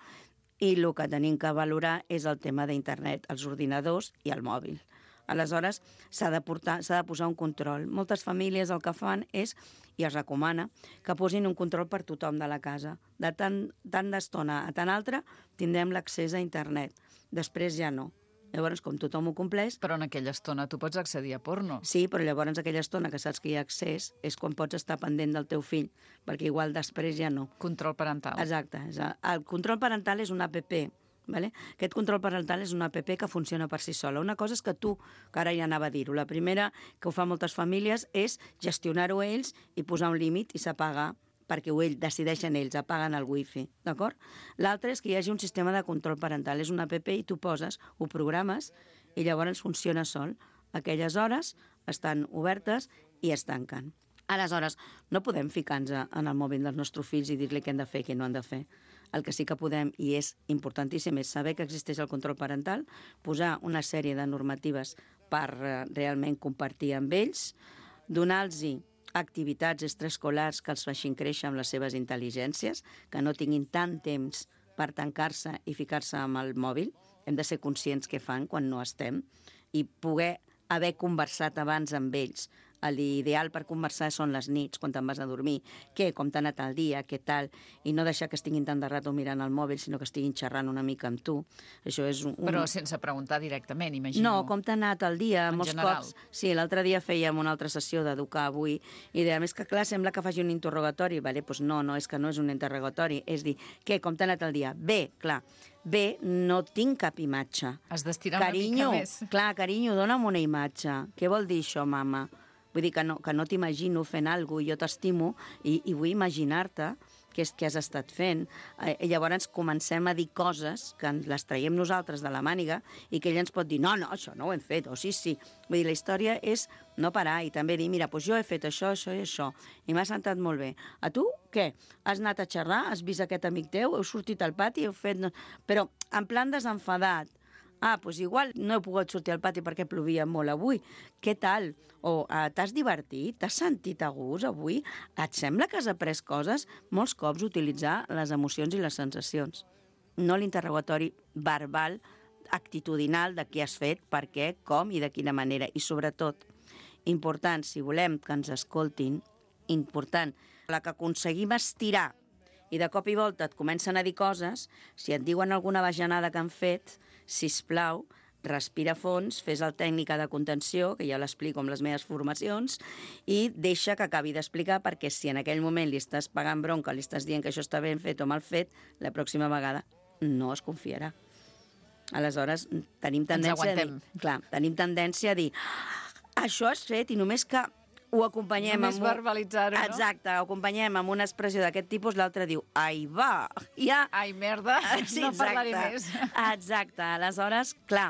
i el que tenim que valorar és el tema d'internet, els ordinadors i el mòbil. Aleshores, s'ha de, portar, s'ha de posar un control. Moltes famílies el que fan és, i es recomana, que posin un control per tothom de la casa. De tant, tant d'estona a tant altra tindrem l'accés a internet. Després ja no. Llavors, com tothom ho compleix... Però en aquella estona tu pots accedir a porno. Sí, però llavors aquella estona que saps que hi ha accés és quan pots estar pendent del teu fill, perquè igual després ja no. Control parental. Exacte. El control parental és una app. Vale? Aquest control parental és una app que funciona per si sola. Una cosa és que tu, que ara ja anava a dir-ho, la primera que ho fan moltes famílies és gestionar-ho ells i posar un límit i s'apaga perquè ho decideixen ells, apaguen el wifi, d'acord? L'altre és que hi hagi un sistema de control parental. És una app i tu poses, ho programes i llavors funciona sol. Aquelles hores estan obertes i es tanquen. Aleshores, no podem ficar-nos en el mòbil dels nostres fills i dir-li què han de fer i què no han de fer. El que sí que podem, i és importantíssim, és saber que existeix el control parental, posar una sèrie de normatives per realment compartir amb ells, donar-los activitats extraescolars que els facin créixer amb les seves intel·ligències, que no tinguin tant temps per tancar-se i ficar-se amb el mòbil. Hem de ser conscients què fan quan no estem i poder haver conversat abans amb ells. L'ideal per conversar són les nits, quan te'n vas a dormir. Què, com t'ha anat el dia, què tal? I no deixar que estiguin tant de rato mirant el mòbil, sinó que estiguin xerrant una mica amb tu. Això és un... Però sense preguntar directament, imagino. No, com t'ha anat el dia? En Molts general. cops. Sí, l'altre dia fèiem una altra sessió d'educar avui i dèiem, és que clar, sembla que faci un interrogatori. Vale, doncs no, no, és que no és un interrogatori. És dir, què, com t'ha anat el dia? Bé, clar. Bé, no tinc cap imatge. Has d'estirar Carinyo, una mica més. clar, carinyo, dona'm una imatge. Què vol dir això, mama? Vull dir que no, que no t'imagino fent alguna cosa, jo t'estimo i, i vull imaginar-te què és que has estat fent. Eh, I llavors comencem a dir coses que ens les traiem nosaltres de la màniga i que ell ens pot dir, no, no, això no ho hem fet, o sí, sí. Vull dir, la història és no parar i també dir, mira, doncs jo he fet això, això i això, i m'ha sentat molt bé. A tu, què? Has anat a xerrar? Has vist aquest amic teu? Heu sortit al pati? Heu fet... Però en plan desenfadat. Ah, doncs igual no he pogut sortir al pati perquè plovia molt avui. Què tal? O eh, t'has divertit? T'has sentit a gust avui? Et sembla que has après coses? Molts cops utilitzar les emocions i les sensacions. No l'interrogatori verbal, actitudinal de què has fet, per què, com i de quina manera. I sobretot, important, si volem que ens escoltin, important, la que aconseguim estirar i de cop i volta et comencen a dir coses, si et diuen alguna bajanada que han fet, sisplau, respira a fons, fes el tècnica de contenció, que ja l'explico amb les meves formacions, i deixa que acabi d'explicar, perquè si en aquell moment li estàs pagant bronca, li estàs dient que això està ben fet o mal fet, la pròxima vegada no es confiarà. Aleshores, tenim tendència a dir... Clar, tenim tendència a dir això has fet i només que ho acompanyem Només amb... verbalitzar-ho, no? Exacte, ho acompanyem amb una expressió d'aquest tipus, l'altre diu, ai, va, ja... Ai, merda, Sí, no parlaré exacte. més. Exacte, aleshores, clar,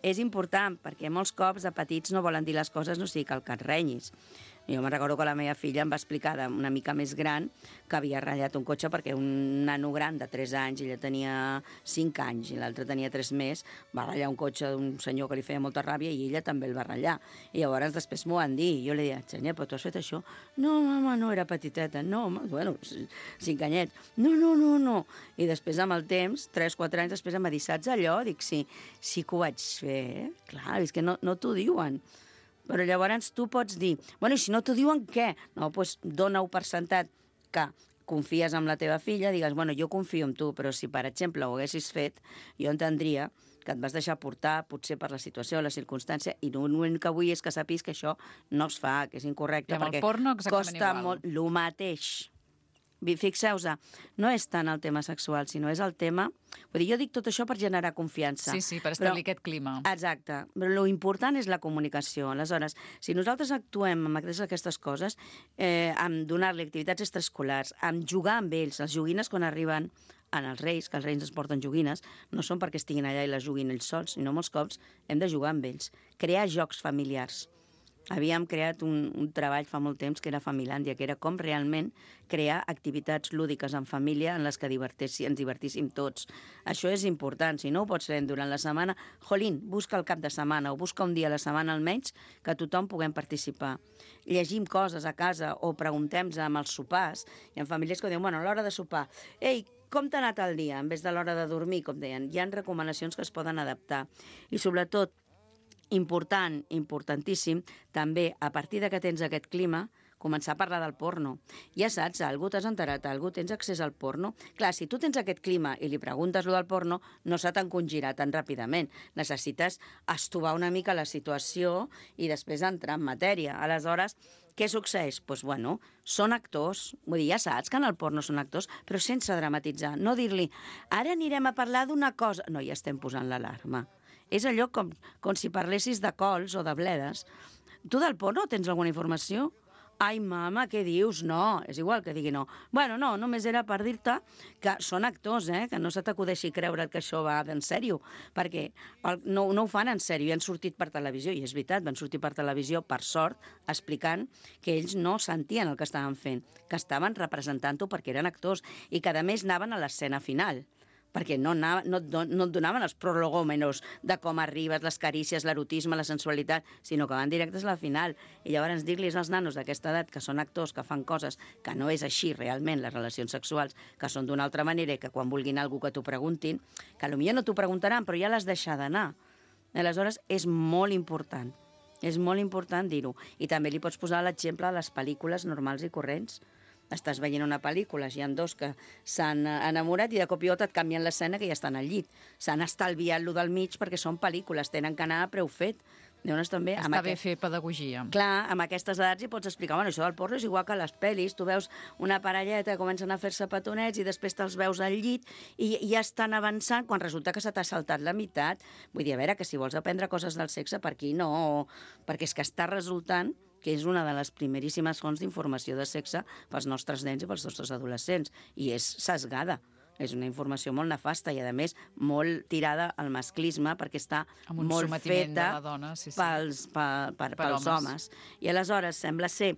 és important, perquè molts cops de petits no volen dir les coses, no sigui que el que et renyis. Jo me'n recordo que la meva filla em va explicar una mica més gran que havia ratllat un cotxe perquè un nano gran de tres anys, ella tenia cinc anys i l'altre tenia tres més, va ratllar un cotxe d'un senyor que li feia molta ràbia i ella també el va ratllar. I llavors després m'ho van dir i jo li deia, Xenia, però tu has fet això? No, mama, no, era petiteta. No, mama, bueno, cinc anyets. No, no, no, no. I després amb el temps, tres, quatre anys després em va dir, saps allò? Dic, sí, sí que ho vaig fer. Eh? Clar, és que no, no t'ho diuen. Però llavors tu pots dir, bueno, i si no t'ho diuen, què? No, doncs dona-ho per sentat que confies en la teva filla, digues, bueno, jo confio en tu, però si, per exemple, ho haguessis fet, jo entendria que et vas deixar portar, potser per la situació, la circumstància, i l'únic que vull és que sàpiguis que això no es fa, que és incorrecte, I amb el perquè porno exactament costa igual. molt el mateix. Fixeu-vos, no és tant el tema sexual, sinó és el tema... Vull dir, jo dic tot això per generar confiança. Sí, sí, per establir però, aquest clima. Exacte, però l'important és la comunicació. Aleshores, si nosaltres actuem amb aquestes coses, eh, amb donar-li activitats extraescolars, amb jugar amb ells, les joguines quan arriben en els reis, que els reis ens porten joguines, no són perquè estiguin allà i les juguin ells sols, sinó molts cops hem de jugar amb ells. Crear jocs familiars. Havíem creat un, un treball fa molt temps que era Familàndia, que era com realment crear activitats lúdiques en família en les que divertissi, ens divertíssim tots. Això és important. Si no ho pots fer durant la setmana, jolín, busca el cap de setmana o busca un dia a la setmana almenys que tothom puguem participar. Llegim coses a casa o preguntem-nos amb els sopars. Hi ha famílies que diuen, bueno, a l'hora de sopar, ei, com t'ha anat el dia? En vez de l'hora de dormir, com deien. Hi ha recomanacions que es poden adaptar. I sobretot, important, importantíssim, també, a partir de que tens aquest clima, començar a parlar del porno. Ja saps, algú t'has enterat, algú tens accés al porno. Clar, si tu tens aquest clima i li preguntes lo del porno, no se t'encongirà tan ràpidament. Necessites estovar una mica la situació i després entrar en matèria. Aleshores, què succeeix? Doncs, pues, bueno, són actors. Vull dir, ja saps que en el porno són actors, però sense dramatitzar. No dir-li, ara anirem a parlar d'una cosa... No, ja estem posant l'alarma. És allò com, com si parlessis de cols o de bledes. Tu del porno tens alguna informació? Ai, mama, què dius? No, és igual que digui no. Bueno, no, només era per dir-te que són actors, eh? Que no se t'acudeixi creure que això va d'en sèrio, perquè el, no, no ho fan en sèrio, i han sortit per televisió, i és veritat, van sortir per televisió, per sort, explicant que ells no sentien el que estaven fent, que estaven representant-ho perquè eren actors, i que a més anaven a l'escena final. perquè no, anava, no, no, no et donaven els prolegòmenos de com arribes, les carícies, l'erotisme, la sensualitat, sinó que van directes a la final. I llavors dir-los als nanos d'aquesta edat, que són actors, que fan coses que no és així realment, les relacions sexuals, que són d'una altra manera i que quan vulguin alguna que t'ho preguntin, que potser no t'ho preguntaran, però ja l'has deixat d'anar. Aleshores, és molt important. És molt important dir-ho. I també li pots posar l'exemple de les pel·lícules normals i corrents. Estàs veient una pel·lícula, hi ha dos que s'han enamorat i de cop i volta et canvien l'escena que ja estan al llit. S'han estalviat lo del mig perquè són pel·lícules, tenen que anar a preu fet. Llavors, també, Està amb bé aquest... fer pedagogia. Clar, amb aquestes edats hi pots explicar, bueno, això del porno és igual que les pel·lis, tu veus una parelleta que comencen a fer-se petonets i després te'ls veus al llit i ja estan avançant quan resulta que se t'ha saltat la meitat. Vull dir, a veure, que si vols aprendre coses del sexe, per aquí no, perquè és que està resultant que és una de les primeríssimes fonts d'informació de sexe pels nostres nens i pels nostres adolescents, i és sesgada. És una informació molt nefasta i, a més, molt tirada al masclisme perquè està Amb un molt sometiment feta de la dona, sí, sí. pels, per, per, Per pels homes. homes. I aleshores sembla ser,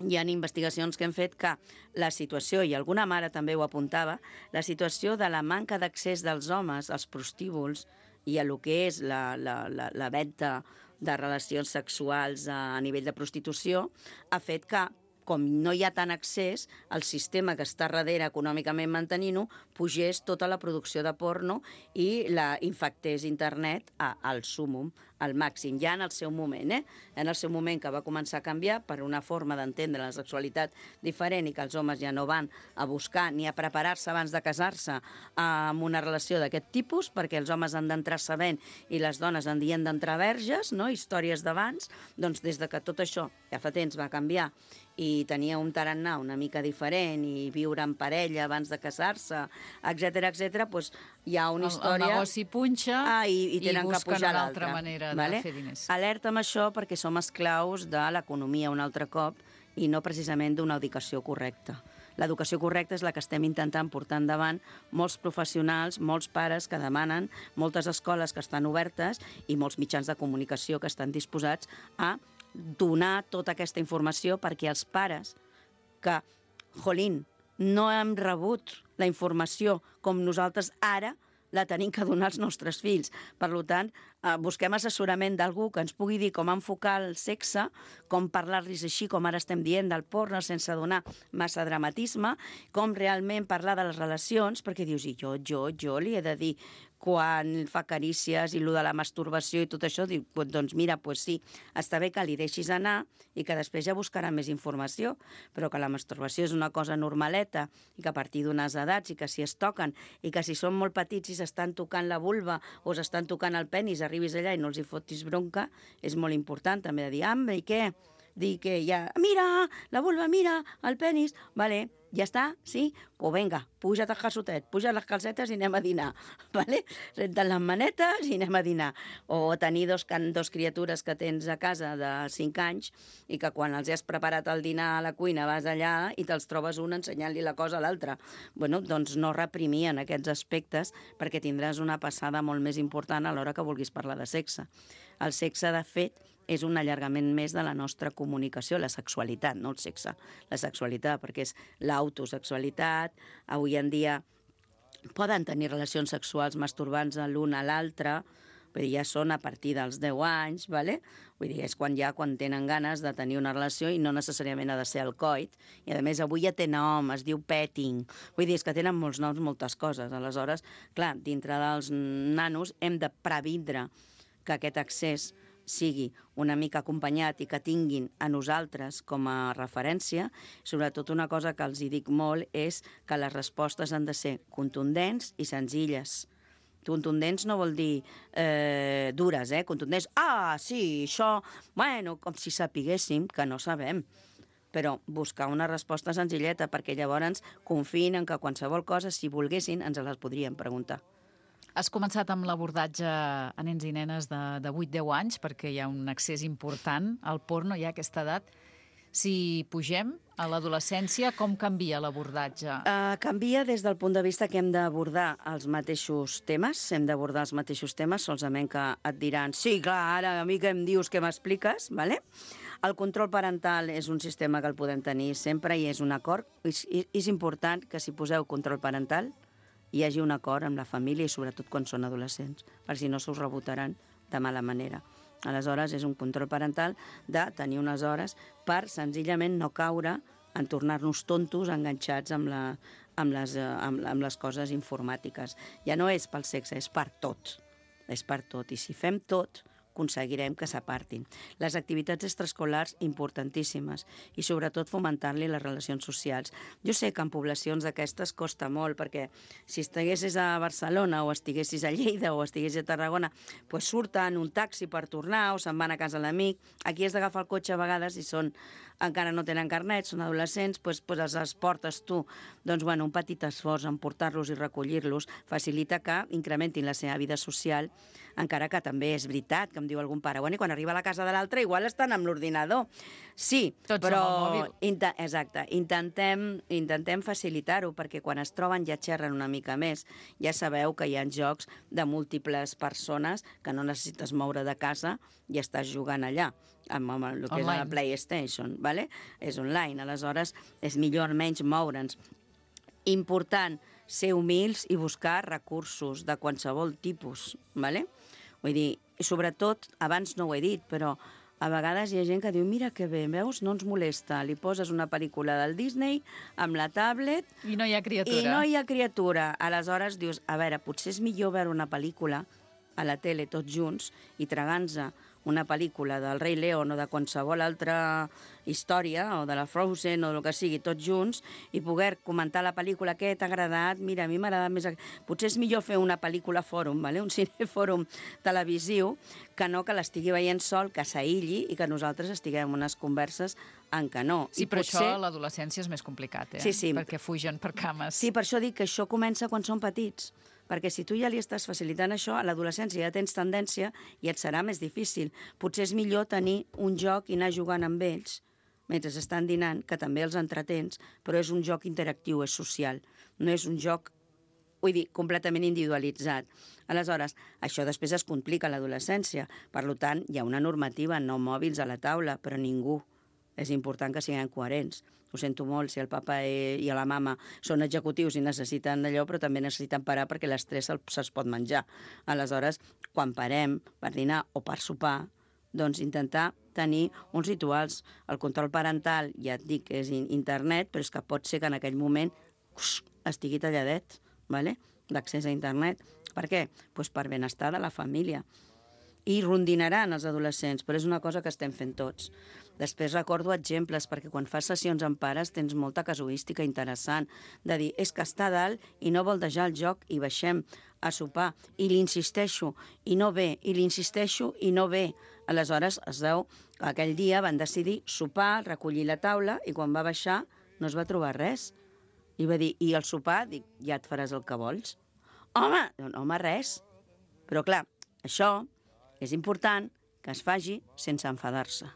hi ha investigacions que han fet que la situació, i alguna mare també ho apuntava, la situació de la manca d'accés dels homes als prostíbuls i a lo que és la, la, la, la venda de relacions sexuals a nivell de prostitució, ha fet que, com no hi ha tant accés, el sistema que està darrere econòmicament mantenint-ho pugés tota la producció de porno i la infectés internet a, al súmum, al màxim, ja en el seu moment, eh? En el seu moment que va començar a canviar per una forma d'entendre la sexualitat diferent i que els homes ja no van a buscar ni a preparar-se abans de casar-se amb una relació d'aquest tipus, perquè els homes han d'entrar sabent i les dones han dient d'entrar verges, no? Històries d'abans, doncs des de que tot això ja fa temps va canviar i tenia un tarannà una mica diferent i viure en parella abans de casar-se, etcètera, etcètera, doncs hi ha una història... El, el negoci punxa ah, i, i, tenen i que busquen pujar una altra l'altra. manera Vale? de fer diners. Alerta amb això perquè som esclaus de l'economia un altre cop i no precisament d'una educació correcta. L'educació correcta és la que estem intentant portar endavant molts professionals, molts pares que demanen, moltes escoles que estan obertes i molts mitjans de comunicació que estan disposats a donar tota aquesta informació perquè els pares que, jolín, no hem rebut la informació com nosaltres ara la tenim que donar als nostres fills. Per tant, eh, busquem assessorament d'algú que ens pugui dir com enfocar el sexe, com parlar-los així, com ara estem dient, del porno, sense donar massa dramatisme, com realment parlar de les relacions, perquè dius, i jo, jo, jo li he de dir quan fa carícies i el de la masturbació i tot això, diu, doncs mira, pues sí, està bé que li deixis anar i que després ja buscarà més informació, però que la masturbació és una cosa normaleta i que a partir d'unes edats i que si es toquen i que si són molt petits i s'estan tocant la vulva o s'estan tocant el penis, arribis allà i no els hi fotis bronca, és molt important també de dir, hambre, i què? Dir que ja, mira, la vulva, mira, el penis, vale, ja està, sí? Pues vinga, puja't al calçotet, puja't les calcetes i anem a dinar, vale? Renta't les manetes i anem a dinar. O tenir dos, can, dos criatures que tens a casa de cinc anys i que quan els has preparat el dinar a la cuina vas allà i te'ls trobes un ensenyant-li la cosa a l'altre. Bueno, doncs no reprimir en aquests aspectes perquè tindràs una passada molt més important a l'hora que vulguis parlar de sexe. El sexe, de fet, és un allargament més de la nostra comunicació, la sexualitat, no el sexe, la sexualitat, perquè és l'autosexualitat. Avui en dia poden tenir relacions sexuals masturbant-se l'un a l'altre, vull dir, ja són a partir dels deu anys, ¿vale? Vull dir, és quan ja quan tenen ganes de tenir una relació i no necessàriament ha de ser el coit. I a més avui ja té nom, es diu petting. Vull dir, és que tenen molts noms, moltes coses. Aleshores, clar, dintre dels nanos hem de previndre que aquest accés sigui una mica acompanyat i que tinguin a nosaltres com a referència. Sobretot una cosa que els hi dic molt és que les respostes han de ser contundents i senzilles. Contundents no vol dir eh, dures, eh? Contundents, ah, sí, això, bueno, com si sapiguéssim, que no sabem. Però buscar una resposta senzilleta, perquè llavors confien en que qualsevol cosa, si volguessin, ens les podrien preguntar. Has començat amb l'abordatge a nens i nenes de, de vuit a deu anys, perquè hi ha un accés important al porno ja a aquesta edat. Si pugem a l'adolescència, com canvia l'abordatge? Uh, canvia des del punt de vista que hem d'abordar els mateixos temes, hem d'abordar els mateixos temes, solament que et diran, sí, clar, ara a mi que em dius, que m'expliques, ¿vale? El control parental és un sistema que el podem tenir sempre i és un acord. És, és important que si poseu control parental, hi hagi un acord amb la família i sobretot quan són adolescents, per si no s'us rebotaran de mala manera. Aleshores, és un control parental de tenir unes hores per senzillament no caure en tornar-nos tontos enganxats amb, la, amb, les, amb, amb les coses informàtiques. Ja no és pel sexe, és per tot. És per tot. I si fem tot, aconseguirem que s'apartin. Les activitats extraescolars importantíssimes i sobretot fomentar-li les relacions socials. Jo sé que en poblacions d'aquestes costa molt perquè si estiguessis a Barcelona o estiguessis a Lleida o estiguessis a Tarragona, pues surten un taxi per tornar o se'n van a casa l'amic. Aquí has d'agafar el cotxe a vegades i són encara no tenen carnet, són adolescents, doncs, doncs els, els portes tu. Doncs, bueno, un petit esforç en portar-los i recollir-los facilita que incrementin la seva vida social, encara que també és veritat, que em diu algun pare, bueno, i quan arriba a la casa de l'altre igual estan amb l'ordinador. Sí, Tots però... amb el mòbil. Inte exacte, intentem, intentem facilitar-ho, perquè quan es troben ja xerren una mica més. Ja sabeu que hi ha jocs de múltiples persones que no necessites moure de casa i estàs jugant allà, amb, amb el que Online. és la PlayStation, ¿vale? És online, aleshores és millor menys moure'ns. Important, ser humils i buscar recursos de qualsevol tipus, ¿vale? Vull dir, i sobretot, abans no ho he dit, però a vegades hi ha gent que diu, mira que bé, veus, no ens molesta, li poses una pel·lícula del Disney amb la tablet I no hi ha criatura. i no hi ha criatura. Aleshores dius, a veure, potser és millor veure una pel·lícula a la tele tots junts i tragant-se una pel·lícula del Rei León o de qualsevol altra història, o de la Frozen, o del que sigui, tots junts, i poder comentar la pel·lícula, què t'ha agradat, mira, a mi m'ha agradat més... Potser és millor fer una pel·lícula fòrum, ¿vale? Un cinefòrum televisiu, que no que l'estigui veient sol, que s'aïlli i que nosaltres estiguem en unes converses en què no. Sí, I però potser... això a l'adolescència és més complicat, eh? Sí, sí. Perquè fugen per cames. Sí, per això dic que això comença quan són petits. Perquè si tu ja li estàs facilitant això, a l'adolescència ja tens tendència i et serà més difícil. Potser és millor tenir un joc i anar jugant amb ells mentre estan dinant, que també els entretens, però és un joc interactiu, és social. No és un joc, vull dir, completament individualitzat. Aleshores, això després es complica a l'adolescència. Per tant, hi ha una normativa, no mòbils a la taula, però ningú. És important que siguin coherents. Ho sento molt si el papa i la mama són executius i necessiten allò, però també necessiten parar perquè l'estrès se'ls pot menjar. Aleshores, quan parem per dinar o per sopar, doncs intentar tenir uns rituals. El control parental, ja et dic que és internet, però és que pot ser que en aquell moment ux, estigui talladet, ¿vale? L'accés a internet. Per què? Pues per benestar de la família. I rondinaran els adolescents, però és una cosa que estem fent tots. Després recordo exemples, perquè quan fas sessions amb pares tens molta casuística interessant, de dir, és que està a dalt i no vol deixar el joc i baixem a sopar, i li insisteixo, i no ve, i li insisteixo, i no ve. Aleshores, es veu que aquell dia van decidir sopar, recollir la taula, i quan va baixar no es va trobar res. I va dir, i el sopar? Dic, ja et faràs el que vols. Home, home, res. Però clar, això és important que es faci sense enfadar-se.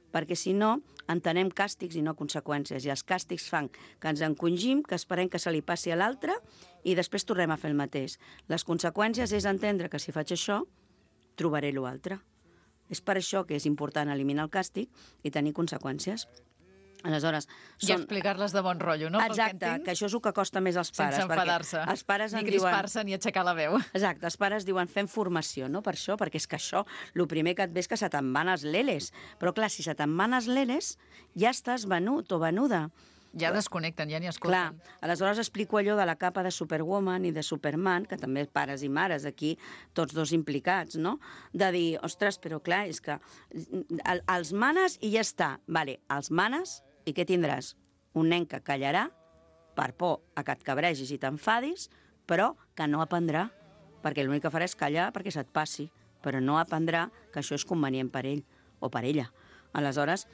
Perquè si no, entenem càstigs i no conseqüències. I els càstigs fan que ens encongim, que esperem que se li passi a l'altre i després tornem a fer el mateix. Les conseqüències és entendre que si faig això, trobaré l'altre. És per això que és important eliminar el càstig i tenir conseqüències. Aleshores, I són... explicar-les de bon rotllo, no? Exacte, que això és el que costa més als pares. Sense enfadar-se, els pares ni en crispar-se, diuen... ni aixecar la veu. Exacte, els pares diuen fem formació, no? Per això, perquè és que això, el primer que et ve és que se te'n van els leles. Però clar, si se te'n van els leles, ja estàs venut o venuda. Ja desconnecten, ja ni Clar, escolten. aleshores explico allò de la capa de Superwoman i de Superman, que també pares i mares aquí, tots dos implicats, no? De dir, ostres, però clar, és que el, els manes i ja està. Vale, els manes i què tindràs? Un nen que callarà per por a que et cabregis i t'enfadis, però que no aprendrà, perquè l'únic que farà és callar perquè se't passi, però no aprendrà que això és convenient per ell o per ella. Aleshores,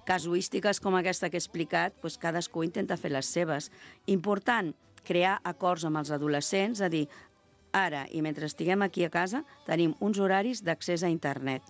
casuístiques com aquesta que he explicat, doncs cadascú intenta fer les seves. Important, crear acords amb els adolescents, a dir, ara i mentre estiguem aquí a casa, tenim uns horaris d'accés a internet.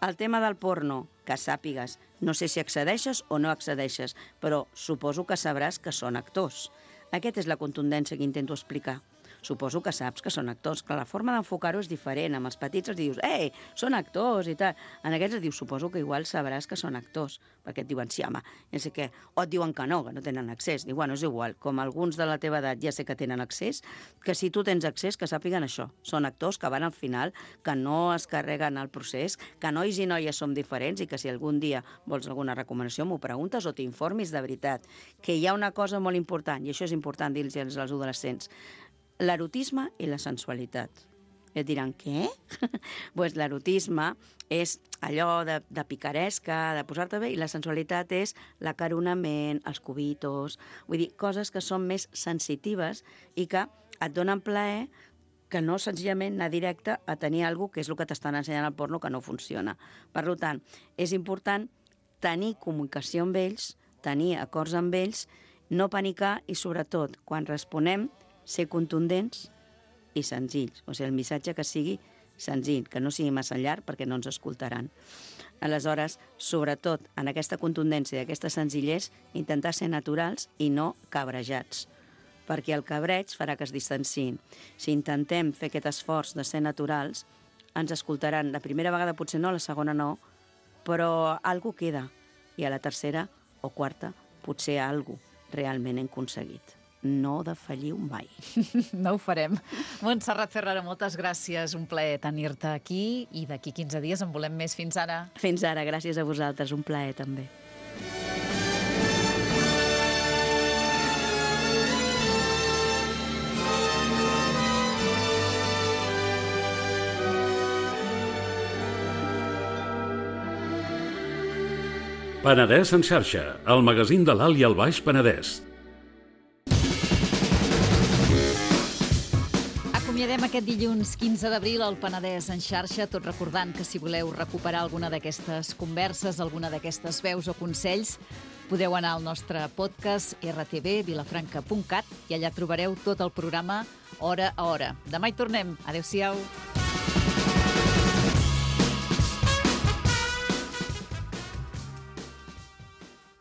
El tema del porno, que sàpigues, no sé si accedeixes o no accedeixes, però suposo que sabràs que són actors. Aquesta és la contundència que intento explicar. suposo que saps que són actors. Clar, la forma d'enfocar-ho és diferent. Amb els petits els dius, ei, són actors i tal. En aquests et dius, suposo que igual sabràs que són actors, perquè et diuen, sí, home, no sé què. O et diuen que no, que no tenen accés. Diu, bueno, és igual, com alguns de la teva edat ja sé que tenen accés, que si tu tens accés, que sàpiguen això. Són actors que van al final, que no es carreguen el procés, que nois i noies som diferents i que si algun dia vols alguna recomanació m'ho preguntes o t'informis de veritat. Que hi ha una cosa molt important, i això és important dir-los als adolescents, l'erotisme i la sensualitat. Et diran, què? Pues l'erotisme és allò de, de picaresca, de posar-te bé, i la sensualitat és l'acaronament, els cubitos, vull dir, coses que són més sensitives i que et donen plaer, que no senzillament anar directe a tenir alguna cosa que és el que t'estan ensenyant al porno que no funciona. Per tant, és important tenir comunicació amb ells, tenir acords amb ells, no panicar i, sobretot, quan responem, ser contundents i senzills. O sigui, el missatge que sigui senzill, que no sigui massa llarg perquè no ens escoltaran. Aleshores, sobretot, en aquesta contundència i aquesta senzillesa, intentar ser naturals i no cabrejats, perquè el cabreig farà que es distanciïn. Si intentem fer aquest esforç de ser naturals, ens escoltaran. La primera vegada potser no, la segona no, però alguna queda. I a la tercera o quarta potser alguna realment hem aconseguit. No defalliu mai. No ho farem. Montserrat Ferrara, moltes gràcies. Un plaer tenir-te aquí i d'aquí quinze dies en volem més. Fins ara. Fins ara, gràcies a vosaltres. Un plaer també. Penedès en xarxa, el magazín de l'Alt i el Baix Penedès. Acomiadem aquest dilluns quinze d'abril al Penedès en xarxa, tot recordant que si voleu recuperar alguna d'aquestes converses, alguna d'aquestes veus o consells, podeu anar al nostre podcast r t v vilafranca punt cat i allà trobareu tot el programa hora a hora. Demà hi tornem. Adéu-siau.